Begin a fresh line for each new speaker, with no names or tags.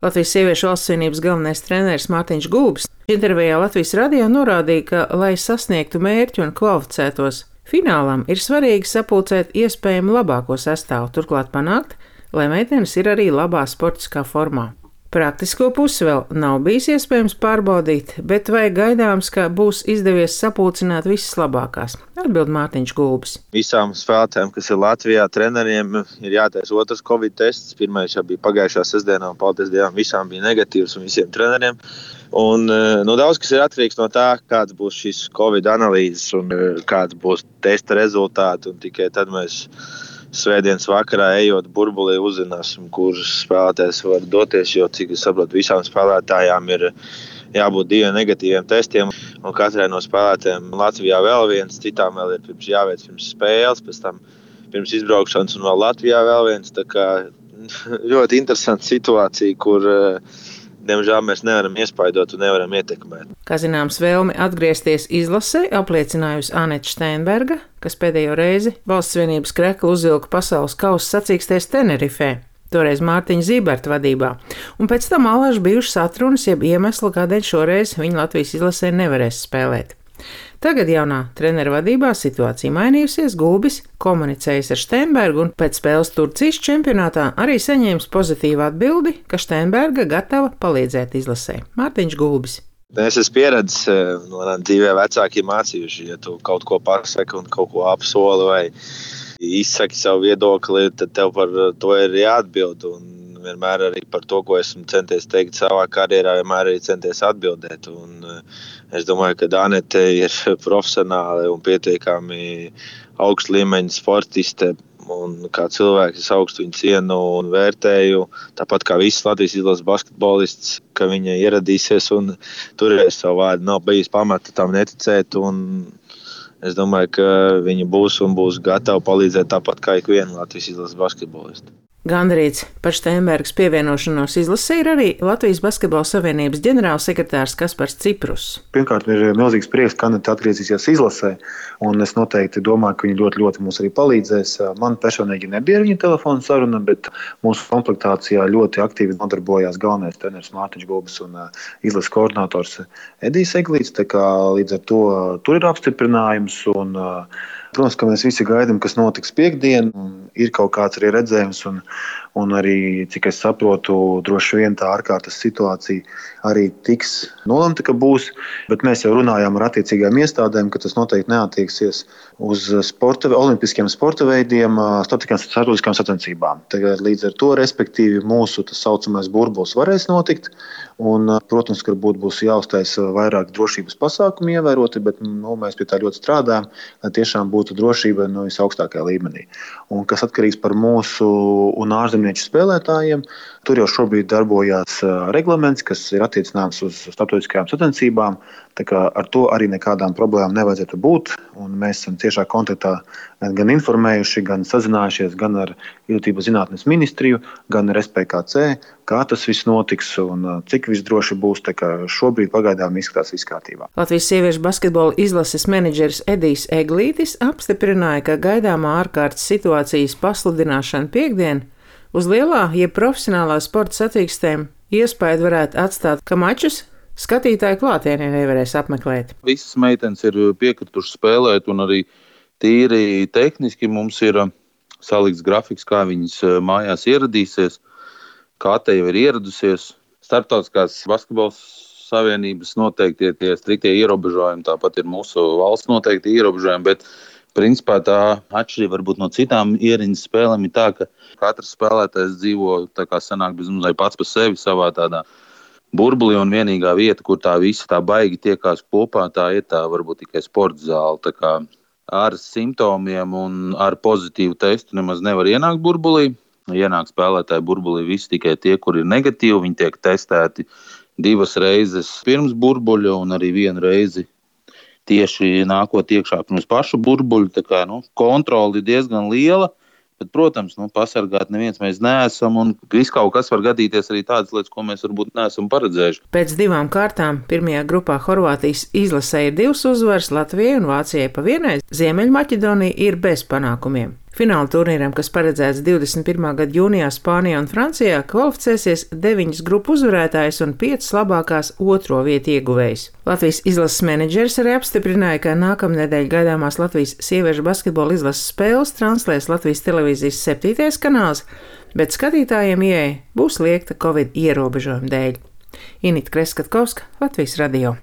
Latvijas sieviešu valsts vienības galvenais treneris Mārtiņš Gulbis intervijā Latvijas radio norādīja, ka, lai sasniegtu mērķi un kvalificētos finālam, ir svarīgi sapulcēt iespējami labāko sastāvu, turklāt panākt, lai meitenes ir arī labā sportiskā formā. Praktisko pusi vēl nav bijis iespējams pārbaudīt, bet vai gaidāms, ka būs izdevies sapulcināt visas labākās? Atbild Mārtiņš Gulbis.
Visām spēlētājiem, kas ir Latvijā, treneriem ir jātaisa otrs Covid tests. Pirmais jau bija pagājušā sestdienā, un paldies Dievam, visām bija negatīvs un visiem treneriem. Un, daudz kas ir atkarīgs no tā, kāds būs šis Covid analīzes un kāds būs testa rezultāti, un tikai tad mēs svētdienas vakarā ejot burbulī uzzināsim, kuras spēlētājs var doties, jo, cik es saprotu, visām spēlētājām ir jābūt 2 negatīviem testiem, un katrai no spēlētājiem Latvijā vēl viens, citām vēl ir jāveic pirms spēles, pēc tam pirms izbraukšanas un vēl Latvijā vēl viens, tā kā ļoti interesanta situācija, kur diemžēl mēs nevaram iespaidot un nevaram ietekmēt.
Kā zināms, vēlmi atgriezties izlasē apliecinājusi Anete Steinberga, kas pēdējo reizi valsts vienības kreklu uzvilka pasaules kausa sacīkstēs Tenerifē, toreiz Mārtiņa Zīberta vadībā, un pēc tam alaži bijušas atrunas, jeb iemesli, kādēļ šoreiz viņa Latvijas izlasē nevarēs spēlēt. Tagad jaunā trenera vadībā situācija mainījusies, Gulbis komunicējis ar Steinbergu un pēc spēles Turcijas čempionātā arī saņēmis pozitīvu atbildi, ka Steinberga gatava palīdzēt izlasē. Mārtiņš Gulbis.
Es esmu pieredzis no dzīvē vecāki mācījuši, ja tu kaut ko pasaki un kaut ko apsoli vai izsaki savu viedokli, tad tev par to ir jāatbild. Un vienmēr arī par to, ko esmu centies teikt savā karjerā, vienmēr arī centies atbildēt. Un es domāju, ka Anete ir profesionāli un pietiekami augsta līmeņa sportiste. Un kā cilvēks es augstu viņu cienu un vērtēju, tāpat kā visas Latvijas izlases basketbolists, ka viņa ieradīsies un turēs savu vārdu. Nav bijis pamata tam neticēt, un es domāju, ka viņa būs un būs gatava palīdzēt tāpat kā ikviena Latvijas izlases basketbolista.
Gandarīts par Steinbergas pievienošanos izlasē ir arī Latvijas Basketbola Savienības ģenerālsekretārs Kaspars Ciprus.
Pirmkārt, ir milzīgs prieks, ka Anete atgriezīsies izlasē, un es noteikti domāju, ka viņa ļoti mums arī palīdzēs. Man personīgi nebija ar viņa telefona saruna, bet mūsu komplektācijā ļoti aktīvi nodarbojās galvenais treneris Mārtiņš Gulbis un izlases koordinators Edijs Eglīts, tā kā līdz ar to tur ir apstiprinājums un protams, ka mēs visi gaidām, kas notiks piekdien. Ir kaut kāds arī redzējums, un arī, cik es saprotu, droši vien tā ārkārtas situācija arī tiks nolemta, ka būs. Bet mēs jau runājām ar attiecīgajām iestādēm, ka tas noteikti neattieksies uz olimpiskiem sporta veidiem, starptautiskām sacensībām. Tagad līdz ar to, respektīvi, mūsu tas saucamais burbulis varēs notikt. Un, protams, ka būs jāuztaisa vairāk drošības pasākumu ievēroti, bet mēs pie tā ļoti strādājam, lai tiešām būtu drošība no visaugstākajā līmenī. Un kas atkarīgs par mūsu un ārzemnieču spēlētājiem, tur jau šobrīd darbojās reglaments, kas ir attiecināms uz starptautiskajām sacensībām. Tā kā ar to arī nekādām problēmām nevajadzētu būt. Un mēs esam tiešā kontaktā gan informējuši, gan sazinājušies gan ar Izglītības zinātnes ministriju, gan ar SPKC, kā tas viss notiks un cik viss droši būs. Tā kā šobrīd pagaidām izskatās viss kārtībā.
Latvijas sieviešu basketbola izlases menedžeris Edijs Eglītis apstiprināja, ka gaidāmā ārkārtas situācijas pasludināšana piekdien uz lielā, jeb profesionālā sporta sacīkstēm iespēju varētu atstāt, ka mačus skatītāju klātienē nevarēs apmeklēt.
Visas meitenes ir piekritušas spēlēt, un arī tīri tehniski mums ir salikts grafiks, kā viņas mājās ieradīsies. Kate jau ir ieradusies. Starptautiskās basketbola savienības noteikti tie striktie ierobežojumi, tāpat ir mūsu valsts noteikti ierobežojumi, bet principā tā atšķirība varbūt no citām ieriņas spēlēm ir tā, ka katrs spēlētājs dzīvo tā kā sanāk bezmazliet pats par sevi savā tādā burbulī, un vienīgā vieta, kur tā visa tā baigi tiekās kopā, tā ir tā varbūt tikai sporta zāle. Tā kā ar simptomiem un ar pozitīvu testu nemaz nevar ienākt burbulī. Ienāk spēlētāji burbulī visi tikai tie, kur ir negatīvi. Viņi tiek testēti 2 reizes pirms burbuļa un arī 1 reizi tieši nākot iekšā pirms pašu burbuļu. Tā kā kontrole ir diezgan liela. Bet, protams, pasargāt neviens mēs neesam, un viss kaut kas var gadīties arī tādas lietas, ko mēs varbūt neesam paredzējuši.
Pēc 2 kārtām pirmajā grupā Horvātijas izlasē ir 2 uzvaras, Latvijai un Vācijai pa 1. Ziemeļmaķedonija ir bez panākumiem. Fināla turnīram, kas paredzēts 21. gada jūnijā Spānijā un Francijā, kvalificēsies 9 grupu uzvarētājs un 5 labākās otro vietu ieguvējs. Latvijas izlases menedžeris arī apstiprināja, ka nākamnedēļ gaidāmās Latvijas sieviešu basketbola izlases spēles translēs Latvijas televīzijas 7. kanāls, bet skatītājiem ieeja būs liegta Covid ierobežojuma dēļ. Inita Kreskatkovska, Latvijas radio.